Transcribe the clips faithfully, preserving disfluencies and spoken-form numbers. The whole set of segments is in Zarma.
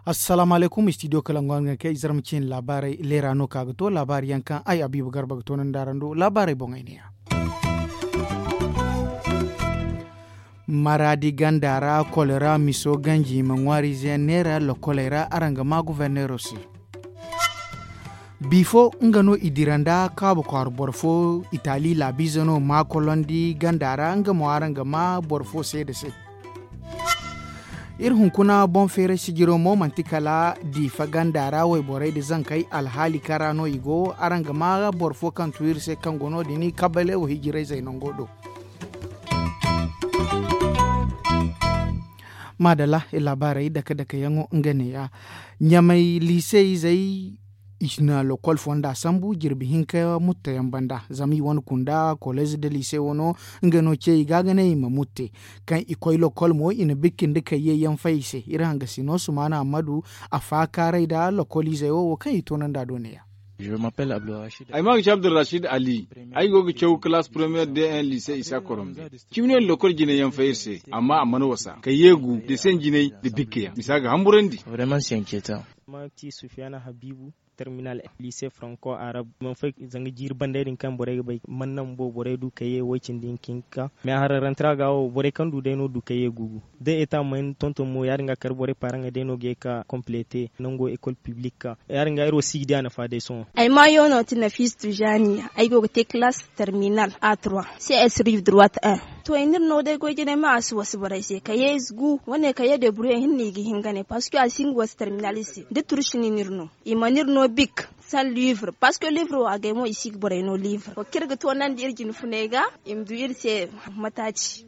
Assalaamu alaykum, studio kalangu araŋ ga ne kay zarma ciine laabaarey leera no ka ga to laabaari yaŋ kaŋ ay abiiba garba ga toonandi araŋ do laabaarey boŋey ne ya. Maraadi ganda ra kolera miso ganji i ma ŋwaariize yaŋ neera lokoley ra araŋ ga maa goforneero se. Bifo nga no i dira nda kaabu kwaara boro fo itali laabiize no maa kolondi ganda ra nga mo araŋ ga maa boro fo seeda se. Iri hunkuna boŋ feeray sijiro mo manti kala diifa ganda ra wayborey nda zankey alhaali kaŋ ra no i go araŋ ga maa boro fo kaŋ tu iri se kaŋ go no- din kabalewo hijirayzey nango do. Maadalla, laabaarey dake dake yaŋo nga neeya. Ɲamay liise izey i na lokol fonda sambu jirbi hinka mutta yaŋ banda zama i wane kunda kolez nda liise wano nga no ce i ga ga ne i ma mutte. Kaŋ i koy lokol mo i na bikki nda kayye yaŋ fay i se iri hangasino sumaana ammadu a faakaaray nda lokol izey wo wo kaŋ i toonandi a do neeya. Ay maa ga ci abdulrashid ali. Ay go ga caw kalaas premiyer de un liise isa korombe. Cimni wane lokol jine yaŋ fay iri se amma a mana wasa kayye gu da sen jinay da bikka yaŋ misa ga hamburandi. Vraiment c'est inquiétant. Maa ga ci sufiyana habiibu terminal liise franco arab man fay zanga jiiri banday din kaŋ borey ga bay man naŋ bo borey du kayye way-cindi hinka hinka. Mais a hararantara ga wo borey kaŋ du day no du kayye gugu. Da eta ma hin tonton mo ya- din ga kar borey paaraŋey day no ga ye ka complete nango école publique ka ya- din ga iri wo si ga di a nafa day sohõ. Ay maayo no ti nafis tijani ay go ga te classe terminal a trois cs rive droite un. To ay n'iri no day goy jinay ma a si wasa borey se kayye gu wane kayye débrouiller hinne i ga hin ga ne parce que a si hin ga wasa terminal i se da turshi no n'iri no. I mana iri no bik sans livre parce que livre wo agay mo i si ga borey no livre wo kaŋ iri ga toonandi iri jine funey ga i ma du iri se mataaci.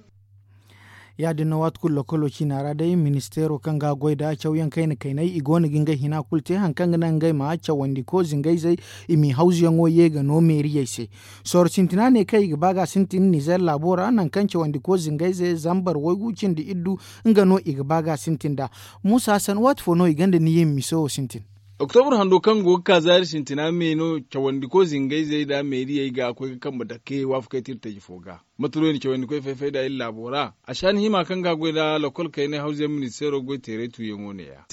Ya- din no waati kulu lokolo ciina ra day ministeero kaŋ ga goy nda cawyaŋ kayna kaynay i go no ga ngey hina kulu te hari kaŋ ga naŋ ngey ma cawandi ko zingayzey i m'i hawzuyaŋo ye ga no meeriyey se. Sooro sintina ne kaŋ i ga ba ga sintin nizer laabo ra nangu kaŋ cawandi ko zingayzey zambar waygu cindi iddu nga no i ga ba ga sintin nd'a. Muusa hassan waati fo no i gonda ni ye ma miso wo sintin? Oktobur hando kaŋ go ga ka zaari sintina me no cawandi ko zingayzey nda meeriyey ga koy ga kambe dake waafakey te iri taji fo ga. Mate no i na cawandi koy fay-fay nd'a iri laabo ra? Ašaani hima kaŋ ga a goy nda lokol kaynay hawzuyaŋ ministeero goy teeray tuuyaŋo ne- ya.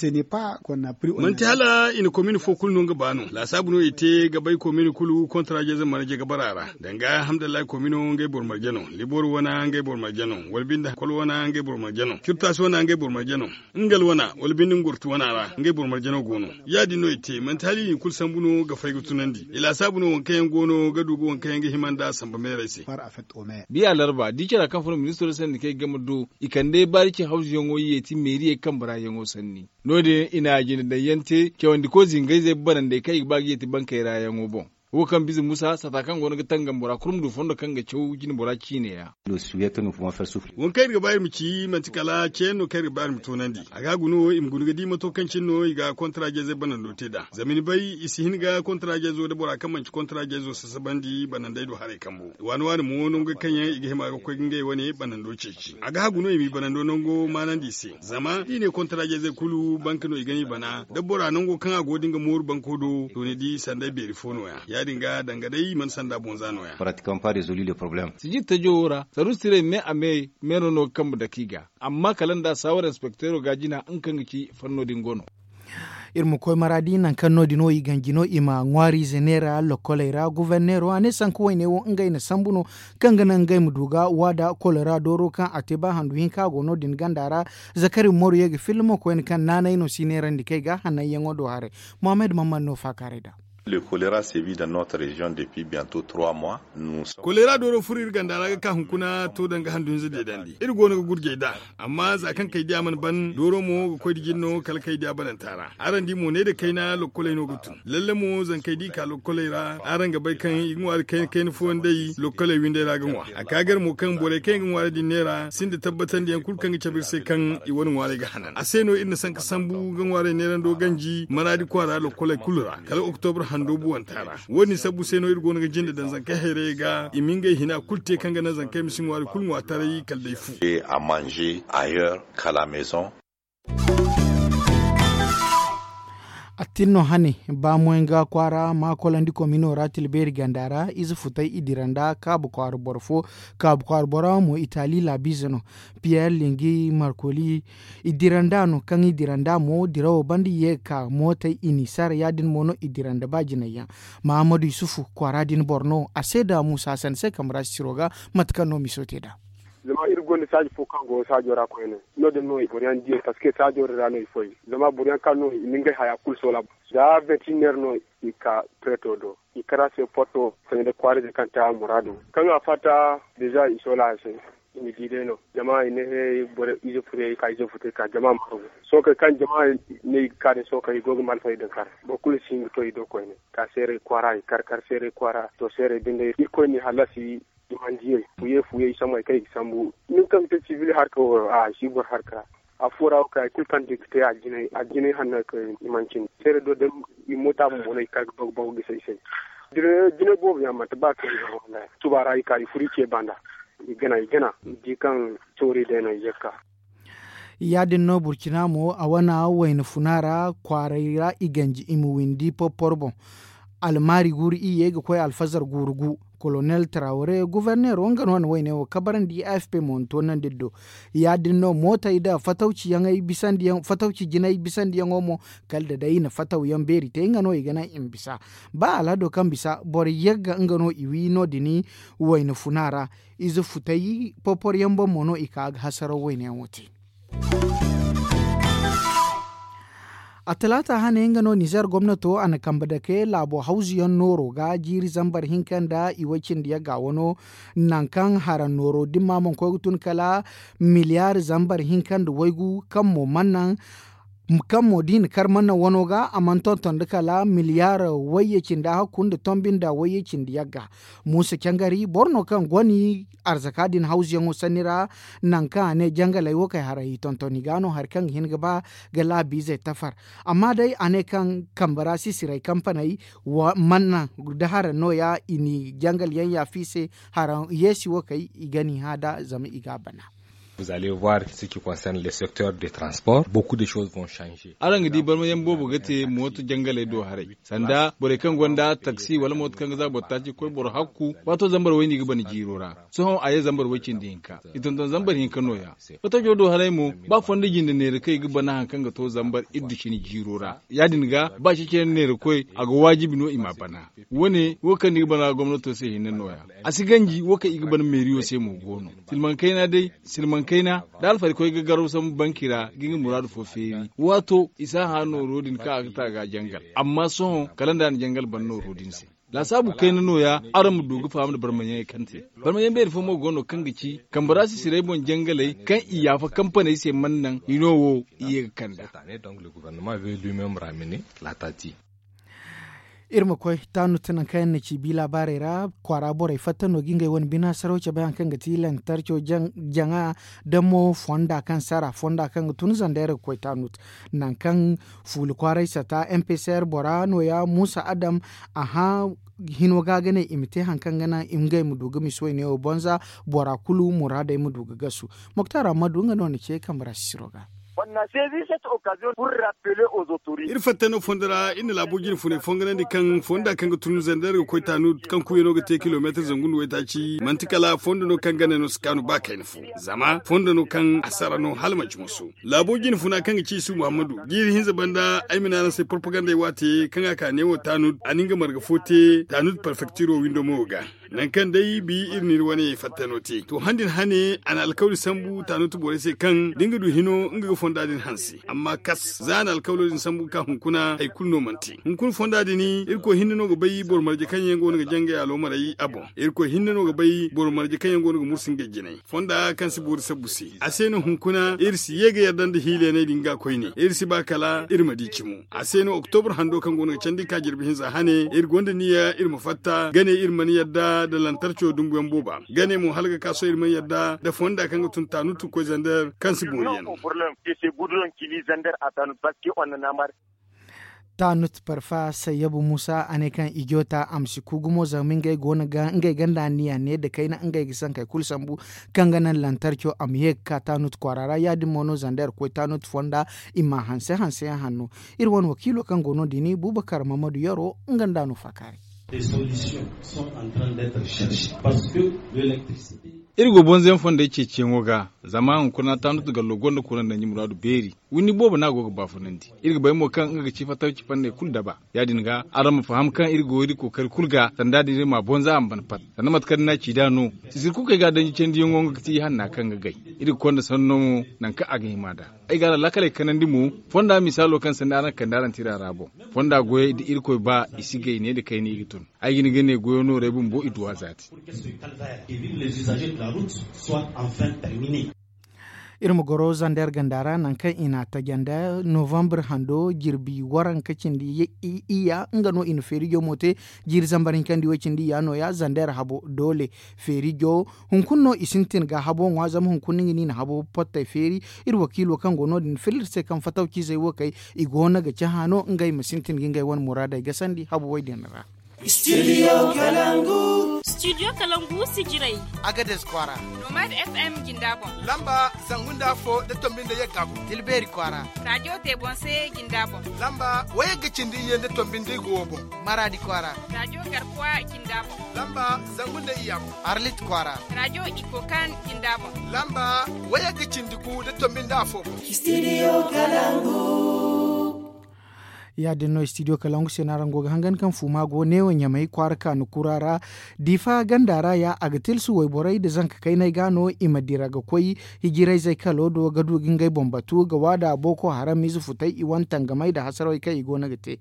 Manti hala i na komin fo kulu no nga ba no laasaabu no i te ga bay komin kulu kontaraaje zamana je ga bara a ra. Danga alhamdulillahi komino ngey boro marje no, libor wana ngey boro marje no, wala binde kol wana ngey boro marje no, curtaasi wana ngey boro marje no, ngal wana wala binde ngurtu wana ra ngey boro marje no go no. Ya- din no i te manti hala i na i kulu sambu no ga fay ga tunandi i laasaabu no waŋ kaŋ yaŋ go no ga du ga waŋ kaŋ yaŋ ga hima nd'a samba meerey se. Biya larba di cara kaŋ furo ministiro sanni kaŋ i game do i kande baari ce hawzuyaŋo yeeti meeriyey kambe ra yaŋo sanni. No- din i na a jine daŋ yaŋ te cawandi ko zingayzey banandey kaŋ i ga ba ga yeeti bankey ra yaŋo boŋ. Wo kaŋ bize musa sata kaŋ go no ga tangam bora kulu ma du fondo kaŋ ga caw jine bora ciine ya. Waŋ kaŋ iri ga ba iri ma ci manti kala ceeyaŋ no kaŋ iri ga ba iri ma toonandi a ga a guna wo i ma guna ga di mato kaŋ cine no i ga kontaraaje zey banando te nd'a zama ni bay i si hin ga kontaraaje zo nda bora kaŋ manti kontaraaje zo sasabandi banandey do haray kambo waani waani mo nango kaŋ yaŋ i ga hima ga koy ga ngey wane banando ceeci a ga hagu no i m'i banando nango maanandi i se. Zama da i ne kontaraaje zey kulu banka no i ga ni bana da bora nango kaŋ a go din ga mooru banko do to ni di sanda ay beeri fo no- ya ya- din ga danga day i mana sanda boŋ za no- ya. Sijir tajo wo ra saruusi tirey me a me meero no ga kambe dake i ga. Amma kala nda saawar inspekteero ga jina nga kaŋ ga ci fanno din go no. Iri ma koy maraadi nangu kaŋ no- din wo i ganji no i ma ŋwaariize neera lokoley ra goforneero a ne sanka wayne wo ngey na sambu no kaŋ ga naŋ ngey ma du ga waada kolera dooro kaŋ a te ba handu hinka go no- din ganda ra. Zakari moru ye ga filla mo koyne kaŋ naanay no si neerandi kay ga hannayyaŋo do haray. Mohammed mamman no faakaaray nd'a. Kolera dooro furo iri ganda ra ga ka hunkuna to danga handu hinza deedandi iri go no ga gurjay nd'a. Amma za kaŋ kay diya mana ban dooro mo ga koy da jin no kala kay diya bananta ra araŋ di mo ne da kayna lokkoley no ga tun lalle mo zankey da i ka lokkoley ra araŋ ga bay kaŋ i ga ŋwaari kayna kayna fooyaŋ day lokkoley windey ra ga ŋwa. A ka gar mo kaŋ borey kaŋ yaŋ ga ŋwaari din neera sinda tabbatandiyaŋ kulu kaŋ ga cabe iri se kaŋ i wane ŋwaarey ga hanan a se no iri na sanka sambu ga ŋwaarey neerando ganji maraadi kwaara lokkoley kulu ra kala oktobur hando buwanta ra. Wo- din sabbu se no iri go no ga jinde daŋ zankey hayrayey ga i ma ngey hina kulu te kaŋ ga naŋ zankey ma si ŋwaari kulu ŋwa taray kala day fu. A mange ailleurs kala maison. Tin no hane, ba moyanga kwaara ma kolandi komino ra tilbeeri ganda ra ize futay i dira nda kaabu kwaara boro fo. Kaabu kwaara bora mo itali laabiize no. Piyer lingi markoli i dira nda no kaŋ i dira nda mo dirawo banda ye ga ka mootey i n'i sara ya- din mo no i dira nda ba jinay yaŋ. Mahammadu yusufu kwaara din boro no a se da muusa sanda se kambe ra sisiro ga. Mate kaŋ no miso te nd'a. Zama iri gonda saaji fo kaŋ go saajo ra koyne, no- din no boro yaŋ di ey parceque saajo din ra no i foy. Zama boro yaŋ kaŋ no i na ngey haya kulu soola, za vingt et un heure no i ka preto do, i kar a se porto sanda kwaaray ze kaŋ te a muraadu. Kaŋ a fatta, deza i soola a se. I na di day no zama i ne he boro ize furey i ka ize futey ka jama ma hagu. Sookey kaŋ jama ne i ga ka din sookey i go ga malfari din kar. Boro kulu si hin ga to i do koyne ka seeray kwaara i kar kar seeray kwaara to seeray binde irkoy n'i hallasi. I mana diyey fuye fuye i sambu hari kaŋ i ga sambu nin kaŋ ga te sibil harka wo a si boro harka. Afo ra wo kay hari kulu kaŋ da i ga te a jinay hanno hari kaŋ i mana cindi seeray do day. I moota bumbo no i kar ga bagu bagu gisa i se. Jinay boobo yaŋ manti ba kaŋ i ga honda yaŋ tuba ra i ka i furu i ce banda. I gana i gana ni di kaŋ toori day no i ye ga ka. Ya- din no burcina mo a wane wayna funa ra kwaaray ra i ganji i ma windi porporo boŋ. Almaari guuru iyye ga koy alfazar guuru gu. Kolonel taraware goborneero nga no na wayne wo kabarandi a f p mo na toonandi do. Ya- din no mootey nda fatawci jinay bisandiyaŋo mo kala da day i na fatawyaŋ beeri te nga no i ga naŋ i ma bisa. Ba alhado kaŋ bisa boro yagga nga no i wi no- din wayna funa ra. Ize futay porporo yaŋ boŋ mo no i ka ga hasaraw wayne yaŋo te. A talaata hane nga no nizer gomnato a na kambe dake laabo hawzu yaŋ nooro ga jiiri zambar hinka nda i way cindi yagga wano. Nangu kaŋ haraŋ nooro dimma mana koy ga tun kala miliyaari zambar hinka nda waygu kaŋ mo mana naŋ kaŋ mo da i na kar mana naŋ wano ga a mana tonton nda kala miliyaari wayye cindi hakku nda tombi nda wayye cindi yagga. Muusa cangari boro no kaŋ goni arzaka din hawzuyaŋo sanni ra. Nangu kaŋ a ne jangaley wo kay haray i tonton i ga no hari kaŋ ga hin ga ba ga laabiizey tafar. Amma day a ne kaŋ kambe ra sisiray kampaney mana naŋ da haraŋ no- ya i n'i jangal yaŋ yaafa i se. Haraŋ yeesi wo kay i ga n'i hã nd'a zama i ga a bana. Araŋ ga di barmayaŋ boobo ga te mooto jangaley do haray sanda borey kaŋ gonda taksi wala mooto kaŋ ga za boro taaci ga koy boro hakku. Waato zambar wayni ga bana jiiro ra. Sohõ a ye zambar way cindi hinka i tonton zambar hinka no- ya. Wata jodo haray mo ba fondo jinde neera kaŋ i ga bana hari kaŋ ga to zambar iddu cine jiiro ra ya- din ga ba ceeciyaŋ neera koy a ga waajibi no i m'a bana. Wo- ne wo kaŋ ni ga bana gomnato se hinne no- ya. A si ganji wo kaŋ i ga bana meeriyo se mo go no. Silmaŋ kayna day silmaŋ kayna da alfarikoy ga garaw sambu banki ra ga nga muraadu fo feeri waato i si a hã nooro din kaŋ a ga ta ga jangal. Amma sohõ kala nda a na jangal bana nooro din se. Laasaabu kayna no- ya araŋ ma du ga faham nda barmayaŋey kaŋ te. Barmayaŋ beeri fo mo go no kaŋ ga ci kambe ra sisirey boŋ jangaley kaŋ i yaafa kampaney se mana naŋ hino wo i ye ga kand'a. Iri ma koy taanut nangu kaŋ yaŋ na ci bi laabaarey ra kwaara borey fatta no ga ngey wane bine hasaraw cabe hari kaŋ ga ti lantarco jaŋa da mo fonda kaŋ sara fonda kaŋ ga tun zandeera ga koy taanut. Nangu kaŋ fuula kwaaray sata mpcr bora no- ya muusa adam a hã hino ga ga ne i ma te hari kaŋ ga naŋ ngey ma du ga misi wayne wo bonza bora kulu muraadey ma du ga gasu. Moktar ammadu nga no na ce kambe ra sisiro ga. Iri fatta no fondo ra iri na laabo jine funay fonganandi kaŋ fonda kaŋ ga tun zandeer ga koy taanu kaŋ kuuyano ga te kilomeetar zangu nda waytaaci manti kala fondo no kaŋ gane no si kaanu ba kayna fo. Zama fondo no kaŋ a sara no hala manci moso. Laabo jine funa kaŋ ga ci isu muhammadu jiiri hinza banda ay ma ne araŋ se porpagandey waate kaŋ a ka neewo taanu a na nga marga fo te taanu parfektiro windo mo ga. Nangu kaŋ day bi iri n'iri wane fattano te to han din hane a na alkawli sambu tanutu borey se kaŋ da nga du hino nga ga fonda din hanse amma kas za a na alkawlo din sambu ga ka hunkuna hari kulu no mana te hunkuna fonda din. Irkoy hinne no ga bay boro marje kaŋ yaŋ go no ga jangay aloomarey a boŋ. Irkoy hinne no ga bay boro marje kaŋ yaŋ go no ga mursu ngey jinay fonda kaŋ si boori sabbu se. A se no hunkuna iri si ye ga yadda nda hiilayaney din ga koyne iri si ba kala iri ma di cimo. A se no oktobur hando kaŋ go no ga candi ka jirbi hinza hane iri gonda niya iri ma fatta gane iri mana yadda nda lantarco dumbuyaŋ booba gane mo hala ga ka sohõ iri mana yadda nda fonda kaŋ ga tun tanutu koy zander kaŋ si boori yaŋ. Tanut parfa sayyabu musa a ne kaŋ i joota a ma si ku gumo zama ngey go no ga ngey ganda anniya ne nda kayna ngey ga sankey kulu sambu kaŋ ga naŋ lantarco a ma ye ga ka tanut kwaara ra ya- din mo no zanda iri koy tanut fonda i ma hanse hanse yaŋ hanno. Iri wane wakiilo kaŋ go no- din bubakar mahamadu yaro nga nda no faakaaray. Iri go bonzo yaŋ fondey ceeciyaŋo ga zama hunkuna tanut gallo gonda kura nda ɲi muraadu beeri. Windi boobo no a go ga baafunandi. Iri ga bay mo kaŋ nga ga ci fattaw ci fanney kulu daba. Ya- din ga araŋ ma faham kaŋ iri go iri kookari kulu ga sanda din iri ma a bonza a ma ban pat. Sanda mate kaŋ ni n'a ci nd'a no, sisiri kulu kaŋ ay ga a danji candiyaŋo nga ga ti ihanna kaŋ ga gay. Iri ga konda sanno mo nangu kaŋ a ga hima nd'a. Ay ga araŋ laakaley kanandi mo fonda misaalo kaŋ sanni araŋ ga kande araŋ tira ra boŋ. Fonda goyey da irkoy ba i si gay ne nda kayna i ga tun. Ay ga ni ga ne goyo noorey bumbo i duw'a zaati. Iri ma goro zander ganda ra nangu kaŋ i n'a taji nda novambre hando jirbi waranka cindi iyya nga no i na feerijo mo te. Jiiri zambar hinkandi wo cindi iyya no- ya zander habo doole feerijo hunkuna no i sintin ga habo ŋwa zama hunkuna no i na habo pottey feeri. Iri wakiilo kaŋ go no- din filla iri se kaŋ fatawciizey wo kay i go no ga cahã no ngey ma sintin ga ngey wane muraadey gasandi habo wo- din ra. Studio kalangu sijirey. Agades kwaara. Nomad f m jinda boŋ. Lamba zangu nda afo nda tombi nda yagga boŋ. Tilbeeri kwaara. Raajo te boŋ se jinda boŋ. Lamba wayagga cindi iyye nda tombi nda igo wo boŋ. Maraadi kwaara. Raajo garkuwa jinda boŋ. Lamba zangu nda iyya boŋ. Arlit kwaara. Raajo ikokan jinda boŋ. Lamba wayagga cindi gu nda tombi nda afo boŋ. Studio kalangu. Ya- din no studio kalangu se no araŋ go ga hangan kaŋ fuuma go neewo ɲamay kwaara kaanu kura ra. Diifa ganda ra ya a ga tilsu wayborey nda zanka kayney ga no i ma dira ga koy hijirayzey kalo do ga du ga ngey boŋ batu ga waada booko haram ize futey i wane tangamey nda hasarawey kaŋ i go no ga te.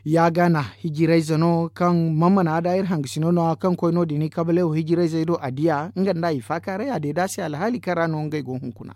Ya gana hijirayze no kaŋ mana da iri hangasino no- ya kaŋ koy no- din i kabalewo hijirayzey do a diya nga nda i faakaaray a deeda se alhaali kaŋ ra no ngey go hunkuna.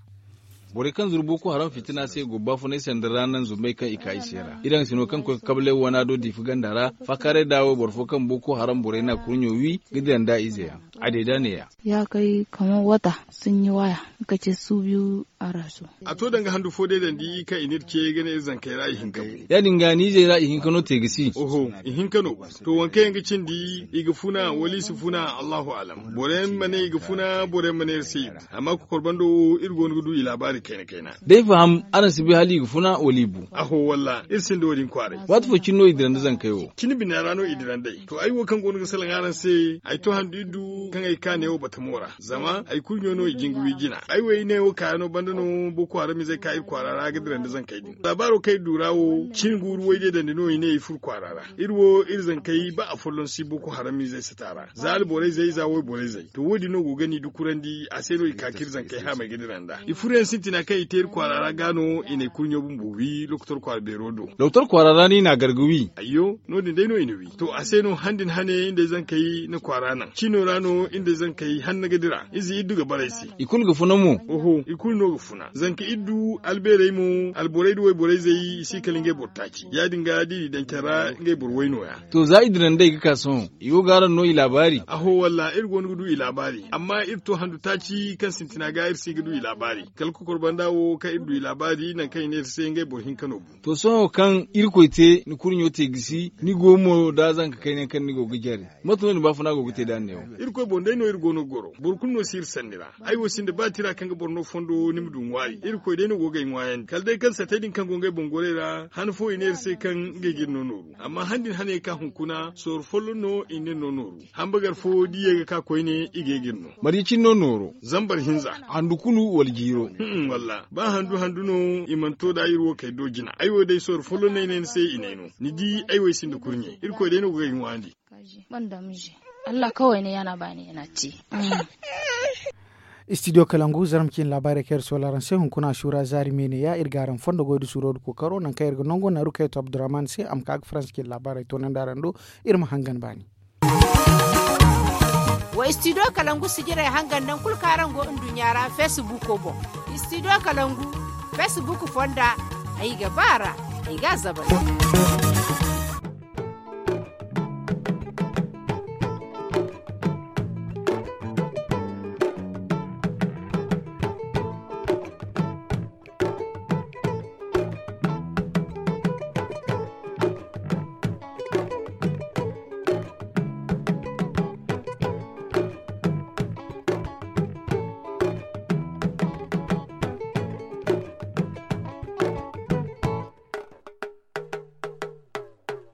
Borey kaŋ zuru booko haram fitina se go baafunay sanda ra naŋ zumbey kaŋ i ka i se ra iri hangasino kaŋ koy ga kabalay wana do diifa ganda ra. Faakaaray da wayboro fo kaŋ booko haram borey n'a kurɲo wi ga dira nda izeyaŋ. A deeda neeya. Ya kay kamar wata sun yi waya ka ce su biyu a rasu. A to danga handu fo day dandi kaŋ i n'iri ce ga ne iri zankey ra i hinka bu. Ya- din ga ni izey ra i hinka no te ga si. Oho, i hinka no. To waŋ kaŋ yaŋ ga cindi i ga funa wala i si funa allahu alam. Boro yaŋ ma ne i ga funa boro yaŋ ma ne iri se i ga. Amma kokor bando wo iri go no ga du i laabaari kayna kayna. Day faham araŋ si bay hala i ga funa wala i bu. Aho walla iri sinda wo- din kwaaray. Waati fo cine no i dira nda zankey wo. Cine bina ra no i dira nd'ey. To ay wo kaŋ go no ga salaŋ araŋ se ay to handu iri du kaŋ ay kaane wo batamo ra zama ay kurɲo no i jin ga wi jina ay wo ay ne wo kaayano banda no boko haramizey ka iri kwaara ra ga dira nda zankey din laabaaro kaŋ iri du ra wo cin guuru wayde dandi no i ne i fur kwaara ra. Iri wo iri zankey ba afolloŋ si boko haramizey sata ra za alborey zey za wayborey zey to wo- din no go ga ni dukurandi a se no i ka ka iri zankey haamey ga dira nda i furyaŋ sintina kaŋ i te iri kwaara ra ga no i na ay kurɲo bumbo wi lokotor kwaara beero do. Lokotor kwaara ra no i n'a gar ga wi. Ayyo, no- din day no i na wi to a se no han din hane nda ay zankey na kwaara naŋ cino ra no nda ay zankey hanna ga dira ize iddu ga bara ay se. I kulu ga funa mo. Oho, i kulu no ga funa zanka iddu albeerey mo alborey da wayborey zey i si kala ngey boro taaci ya- din ga da i di daŋ care ra ngey boro way no- ya. To za i dira nd'ey ga ka sohõ i go ga araŋ no i laabaari. Aho walla iri go no ga du i laabaari amma iri to handu taaci kaŋ sintina ga iri si ga du i laabaari kala kokor banda wo kaŋ iri du i laabaari nangu kaŋ i ne iri se ngey boro hinka no bu. To sohõ kaŋ irkoy te ni kurɲo te gisi ni go mo da zanka kayna kaŋ ni go ga jare. Mate no ni baafuna go ga te da ni ne wo? Irkoy boŋ day no iri go no ga goro boro kulu no si iri sanni ra. Ay wo sinda ba tira kaŋ ga boro no fondo ni ma du ŋwaari irkoy day no go ga ay ŋwaayandi kala day kaŋ satey din kaŋ go ngey boŋ gorey ra han fo i ne iri se kaŋ ngey ga iri no nooru amma han din hane ka hunkuna sooru folloŋ no i ne no nooru. Hambagar fo da i ye ga ka koyne i ga ye ga iri no. Marje cine no nooro? Zambar hinza. Handu kulu wala jiiro? Walla ba handu handu no i mana to da iri wo kay do jina ay wo day sooru folloŋ no ay ne ni se i ne ay no. Ni di ay wo ay sinda kurɲe irkoy day no ga ay ŋwaandi. Allah kawai ne yana bani yana ci. Studio kalangu zarma cine laabaarey kaŋ iri soola araŋ se hunkuna suura zaari me ne ya iri ga araŋ fondo goy da suuro da kookaro nangu kaŋ iri ga nango naaru kaŋ yato abdurrahman se a ma ka ga faransa cine laabaarey toonandi araŋ do. Iri ma hangan baani. Wa studio kalangu sijirey hangan nangu kulu kaŋ araŋ go nduɲɲa ra facebook boŋ. Studio kalangu facebook fonda ay ga ba a ra. Ay ga a zabari.